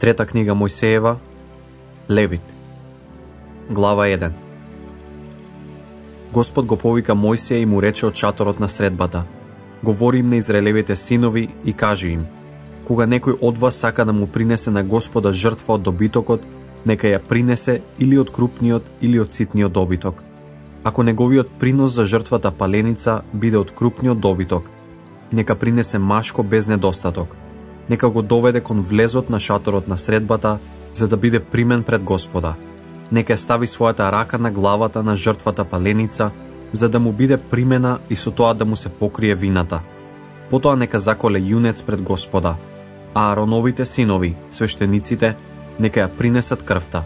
Трета книга Мојсеева, Левит. Глава 1. Господ го повика Мојсеја и му рече од шаторот на средбата: говори им на израелевите синови и кажи им: кога некој од вас сака да му принесе на Господа жртва од добитокот, нека ја принесе или од крупниот или од ситниот добиток. Ако неговиот принос за жртвата паленица биде од крупниот добиток, нека принесе машко без недостаток. Нека го доведе кон влезот на шаторот на средбата, за да биде примен пред Господа. Нека стави својата рака на главата на жртвата паленица, за да му биде примена и со тоа да му се покрие вината. Потоа нека заколе јунец пред Господа, а Ароновите синови, свештениците, нека ја принесат крвта.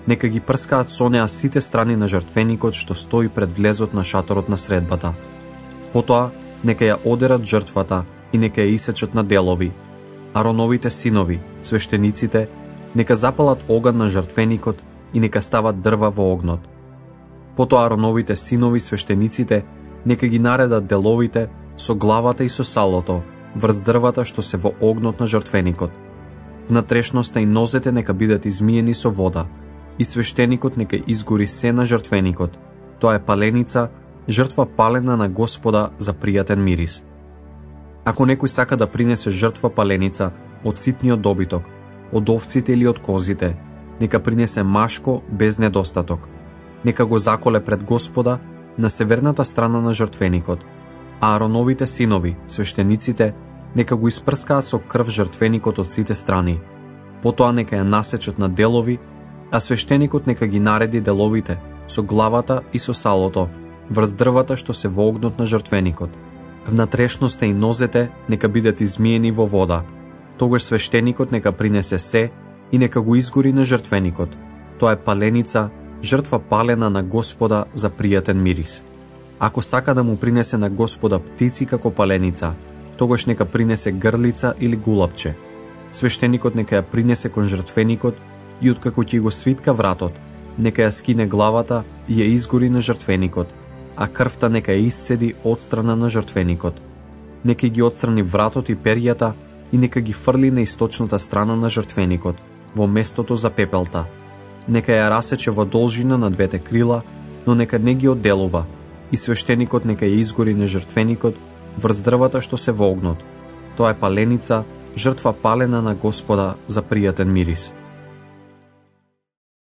Нека ги прскаат со неа сите страни на жртвеникот што стои пред влезот на шаторот на средбата. Потоа нека ја одерат жртвата и нека ја исечат на делови. Ароновите синови, свештениците, нека запалат оган на жртвеникот и нека стават дрва во огнот. Потоа Ароновите синови, свештениците, нека ги наредат деловите со главата и со салото врз дрвата што се во огнот на жртвеникот. Внатрешноста и нозете нека бидат измиени со вода, и свештеникот нека изгори се на жртвеникот. Тоа е паленица, жртва палена на Господа за пријатен мирис. Ако некој сака да принесе жртва паленица од ситниот добиток, од овците или од козите, нека принесе машко без недостаток. Нека го заколе пред Господа на северната страна на жртвеникот, а Ароновите синови, свештениците, нека го испрскаат со крв жртвеникот од сите страни. Потоа нека ја насечат на делови, а свештеникот нека ги нареди деловите со главата и со салото врз дрвата што се во огнот на жртвеникот. Внатрешноста и нозете нека бидат измиени во вода. Тогаш свештеникот нека принесе се и нека го изгори на жртвеникот. Тоа е паленица, жртва палена на Господа за пријатен мирис. Ако сака да му принесе на Господа птици како паленица, тогаш нека принесе грлица или гулапче. Свештеникот нека ја принесе кон жртвеникот и откако ќе го свитка вратот, нека ја скине главата и ја изгори на жртвеникот, а крвта нека ја исцеди од страна на жртвеникот. Нека ги отстрани вратот и перјата и нека ги фрли на источната страна на жртвеникот, во местото за пепелта. Нека ја расече во должина на двете крила, но нека не ги одделува, и свештеникот нека ја изгори на жртвеникот врз дрвата што се во огнот. Тоа е паленица, жртва палена на Господа за пријатен мирис.